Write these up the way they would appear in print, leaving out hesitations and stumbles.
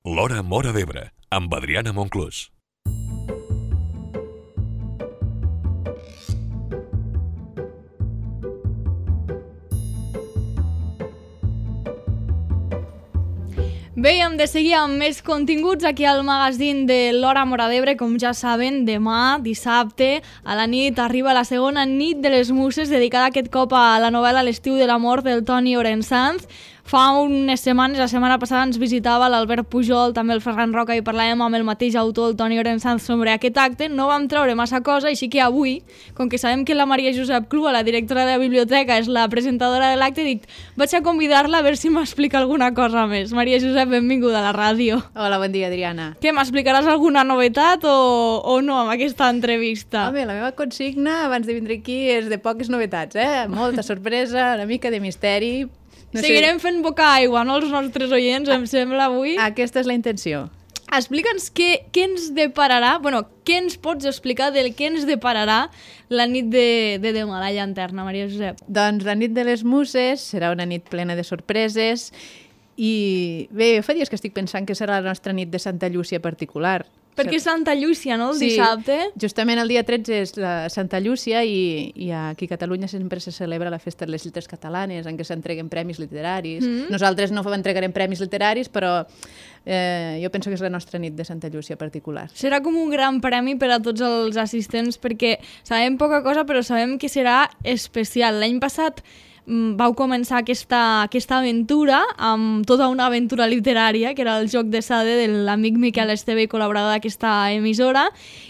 L'Hora Móra d'Ebre, amb Adriana Monclús. Bé, hem de seguir amb més continguts aquí al magazín de l'Hora Móra d'Ebre. Com ja saben, demà, dissabte, a la nit, arriba la segona nit de les Muses, dedicada aquest cop a la novel·la L'estiu de l'amor del Toni Orensanz. Fa unes setmanes, la setmana passada, ens visitava l'Albert Pujol, també el Ferran Roca, i parlàvem amb el mateix autor, el Toni Orensanz, sobre aquest acte. No vam treure massa cosa, així que avui, com que sabem que la Maria Josep Clua, la directora de la biblioteca, és la presentadora de l'acte, dic, vaig a convidar-la a veure si m'explica alguna cosa més. Maria Josep, benvinguda a la ràdio. Hola, bon dia, Adriana. Què, m'explicaràs alguna novetat o no amb aquesta entrevista? Home, la meva consigna abans de vindre aquí és de poques novetats, Molta sorpresa, una mica de misteri. No Seguirem fent boca aigua, no, els nostres oients, em sembla, avui. Aquesta és la intenció. Explica'ns què ens depararà, què ens pots explicar del que ens depararà la nit de demà, la llanterna, Maria Josep? Doncs la nit de les Muses serà una nit plena de sorpreses i bé, fa dies que estic pensant que serà la nostra nit de Santa Llúcia particular. Perquè és Santa Llúcia, no?, el dissabte. Justament el dia 13 és la Santa Llúcia i aquí a Catalunya sempre se celebra la festa de les lletres catalanes, en què s'entreguen premis literaris. Nosaltres no entregarem premis literaris, però jo penso que és la nostra nit de Santa Llúcia particular. Serà com un gran premi per a tots els assistents, perquè sabem poca cosa, però sabem que serà especial. L'any passat vau començar aquesta aventura amb tota una aventura literària, que era el Joc de Sade de l'amic Miquel Esteve, col·laborador d'aquesta emissora,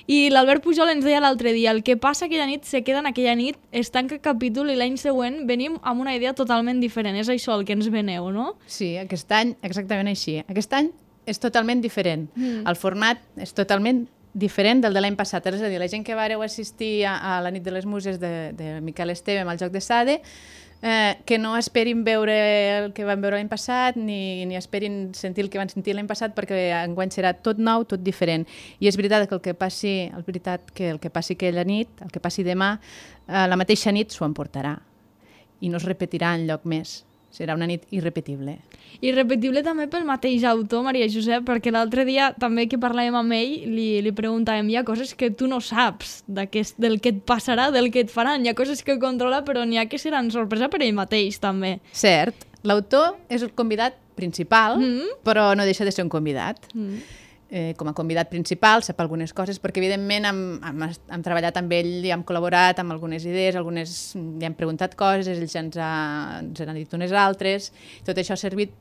i l'Albert Pujol ens deia l'altre dia, el que passa aquella nit se queda en aquella nit, es tanca capítol i l'any següent venim amb una idea totalment diferent. És això el que ens veneu, no? Sí, aquest any exactament així. Aquest any és totalment diferent. El format és totalment diferent del de l'any passat. És a dir, la gent que vareu assistir a la nit de les Muses de Miquel Esteve amb el Joc de Sade, que no esperin veure el que van veure l'any passat ni esperin sentir el que van sentir l'any passat, perquè enguany serà tot nou, tot diferent. I és veritat que el que passi aquella nit, el que passi demà, la mateixa nit s'ho emportarà i no es repetirà enlloc més. Serà una nit irrepetible. Irrepetible també pel mateix autor, Maria Josep, perquè l'altre dia també que parlàvem amb ell li preguntàvem, hi ha coses que tu no saps del que et passarà, del que et faran, hi ha coses que controla però n'hi ha que seran sorpresa per ell mateix també. Cert, l'autor és el convidat principal, però no deixa de ser un convidat. Com a convidat principal sap algunes coses, perquè evidentment hem treballat amb ell i hem col·laborat amb algunes idees, li hem preguntat coses, ell ja ens ha dit unes altres. Tot això ha servit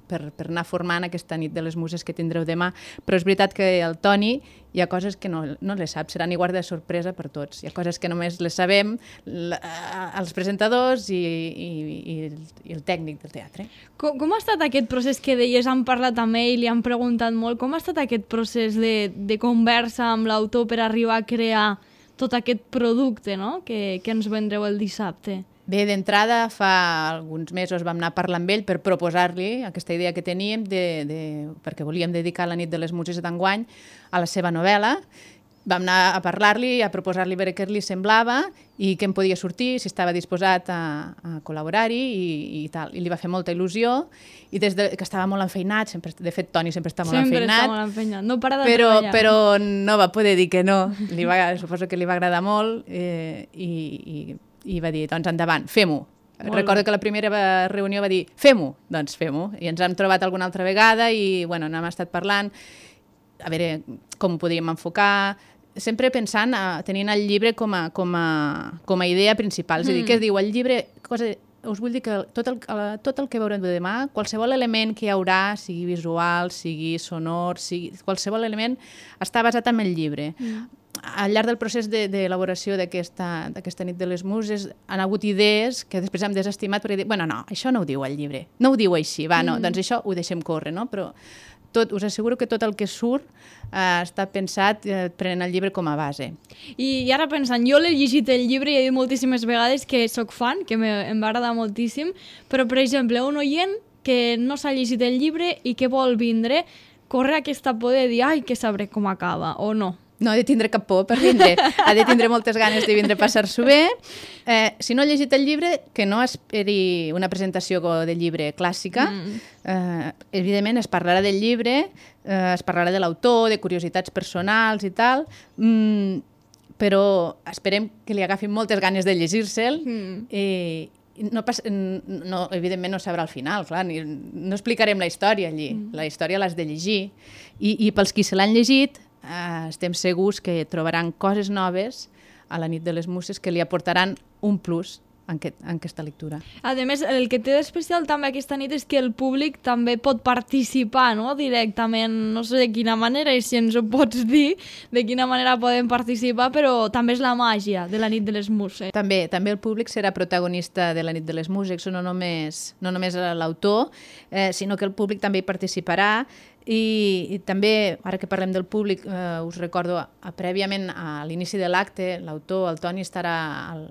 per anar formant aquesta nit de les Muses que tindreu demà, però és veritat que el Toni hi ha coses que no les sap, seran igual de sorpresa per tots. Hi ha coses que només les sabem els presentadors i el tècnic del teatre. Com ha estat aquest procés que deies? Han parlat amb ell, li han preguntat molt. Com ha estat aquest procés de conversa amb l'autor per arribar a crear tot aquest producte, no?, que ens vendreu el dissabte? Bé, d'entrada, fa alguns mesos vam anar a parlar amb ell per proposar-li aquesta idea que teníem perquè volíem dedicar la nit de les Muses d'enguany a la seva novel·la. Vam anar a parlar-li, a proposar-li veure què li semblava i què en podia sortir, si estava disposat a col·laborar-hi i tal. I li va fer molta il·lusió i des que estava molt enfeinat, de fet Toni sempre està molt enfeinat. Sempre està molt enfeinat, no para de treballar. Però no va poder dir que no, suposo que li va agradar molt i va dir, doncs endavant, fem-ho. Recordo que la primera reunió va dir, fem-ho, doncs fem-ho. I ens hem trobat alguna altra vegada i n'hem estat parlant, a veure com ho podíem enfocar, sempre pensant, tenint el llibre com a idea principal. És a dir, què es diu? El llibre, us vull dir que tot el que veurem demà, qualsevol element que hi haurà, sigui visual, sigui sonor, qualsevol element, està basat en el llibre. Al llarg del procés d'elaboració d'aquesta nit de les Muses han hagut idees que després hem desestimat perquè dic, no, això no ho diu el llibre, no ho diu així, doncs això ho deixem córrer, no? Però us asseguro que tot el que surt està pensat prenent el llibre com a base. I ara pensant, jo l'he llegit el llibre i he dit moltíssimes vegades que soc fan, que em va agradar moltíssim, però per exemple, un oient que no s'ha llegit el llibre i que vol vindre, corre aquesta por de dir, ai, que sabré com acaba, o no? No ha de tindre cap por per vindre. Ha de tindre moltes ganes de vindre a passar-s'ho bé. Si no ha llegit el llibre, que no esperi una presentació de llibre clàssica. Evidentment, es parlarà del llibre, es parlarà de l'autor, de curiositats personals i tal, però esperem que li agafin moltes ganes de llegir-se'l no, evidentment no sabrà al final, clar, no explicarem la història allí, la història l'has de llegir i pels qui se l'han llegit estem segurs que trobaran coses noves a la nit de les Muses que li aportaran un plus en aquesta lectura. A més, el que té d'especial també aquesta nit és que el públic també pot participar, no?, directament, no sé de quina manera, i si ens ho pots dir, de quina manera poden participar, però també és la màgia de la nit de les Muses. També el públic serà protagonista de la nit de les Muses, no només l'autor, sinó que el públic també hi participarà. I també, ara que parlem del públic, us recordo, prèviament a l'inici de l'acte, l'autor, el Toni, estarà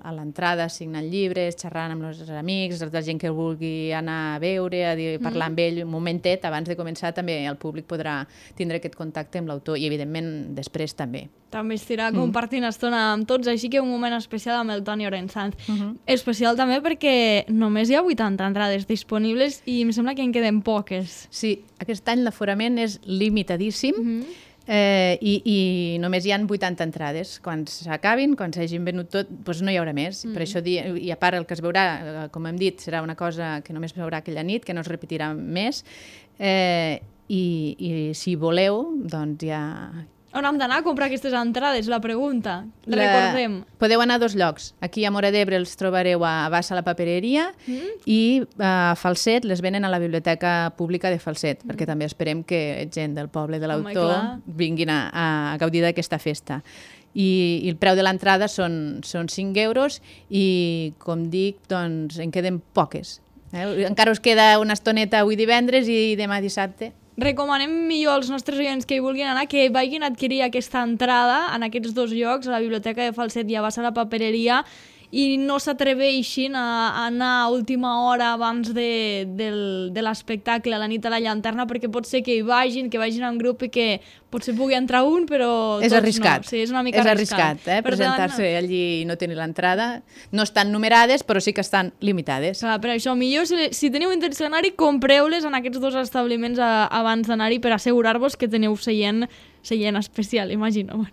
a l'entrada signant llibres, xerrant amb els amics, la gent que vulgui anar a veure, parlar amb ell un momentet. Abans de començar també el públic podrà tindre aquest contacte amb l'autor i, evidentment, després també. També estirà compartint estona amb tots, així que un moment especial amb el Toni Orensanz. Especial també perquè només hi ha 80 entrades disponibles i em sembla que en queden poques. Sí, aquest any l'aforament és limitadíssim i només hi ha 80 entrades. Quan s'acabin, quan s'hagin venut tot, doncs no hi haurà més. Per això, i a part el que es veurà, com hem dit, serà una cosa que només es veurà aquella nit, que no es repetirà més. I si voleu, doncs ja... On hem d'anar a comprar aquestes entrades? La pregunta. Recordem. Podeu anar a 2 llocs. Aquí a Móra d'Ebre els trobareu a Bassa la Papereria i a Falset les venen a la Biblioteca Pública de Falset, perquè també esperem que gent del poble de l'autor vinguin a gaudir d'aquesta festa. I el preu de l'entrada són 5 euros i, com dic, doncs en queden poques. Encara us queda una estoneta avui divendres i demà dissabte. Recomanem millor als nostres oients que hi vulguin anar que vagin a adquirir aquesta entrada en aquests 2 llocs, a la Biblioteca de Falset i a Bassa la Papereria, i no s'atreveixin a anar a última hora abans de l'espectacle, a la nit a la llanterna, perquè pot ser que hi vagin en grup i que potser pugui entrar un, però és arriscat. No. Sí, és una mica arriscat. Presentar-se allí i no tenir l'entrada. No estan numerades, però sí que estan limitades. Clar, per això, millor, si teniu intenció d'anar-hi, compreu-les en aquests 2 establiments abans d'anar-hi per assegurar-vos que teniu seient especial, imagino.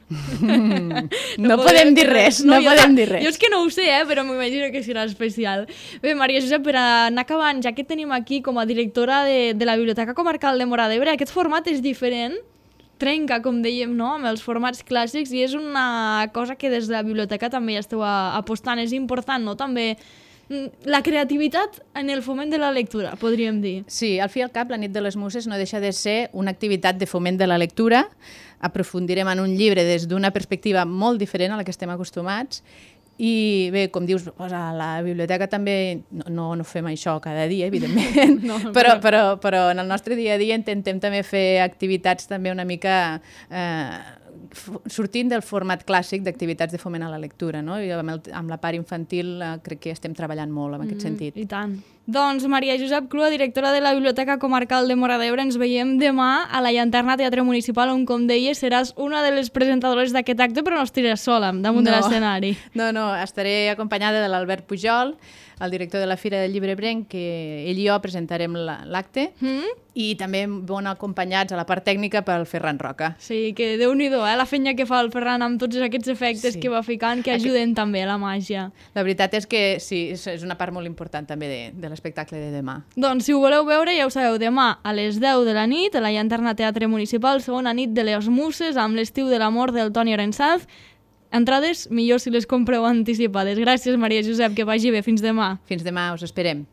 No podem dir res, no podem dir res. Jo és que no ho sé, però m'imagino que serà especial. Bé, Maria Josep, per anar acabant, ja que tenim aquí com a directora de la Biblioteca Comarcal de Móra d'Ebre, aquest format és diferent, trenca, com dèiem, no?, amb els formats clàssics, i és una cosa que des de la biblioteca també ja esteu apostant. És important, no?, també la creativitat en el foment de la lectura, podríem dir. Sí, al fi i al cap, la nit de les Muses no deixa de ser una activitat de foment de la lectura. Aprofundirem en un llibre des d'una perspectiva molt diferent a la que estem acostumats. I bé, com dius, a la biblioteca també no fem això cada dia, evidentment, però en el nostre dia a dia intentem també fer activitats també una mica sortint del format clàssic d'activitats de foment a la lectura, no? I amb la part infantil crec que estem treballant molt en aquest sentit. I tant. Doncs Maria Josep Clua, directora de la Biblioteca Comarcal de Móra d'Ebre, ens veiem demà a la Llanterna Teatre Municipal, on, com deies, seràs una de les presentadores d'aquest acte, però no estiràs sola damunt de l'escenari. No, estaré acompanyada de l'Albert Pujol, el director de la Fira del Llibre Ebrenc, que ell i jo presentarem l'acte, i també bon acompanyats a la part tècnica pel Ferran Roca. Sí, que déu-n'hi-do, la feina que fa el Ferran amb tots aquests efectes que va ficant, que ajuden també a la màgia. La veritat és que sí, és una part molt important també de l'espectacle de demà. Doncs si ho voleu veure, ja ho sabeu, demà a les 10 de la nit, a la Llanterna Teatre Municipal, segona nit de les Muses, amb l'estiu de l'amor del Toni Orensanz. Entrades, millor si les compreu anticipades. Gràcies, Maria Josep, que vagi bé. Fins demà. Fins demà, us esperem.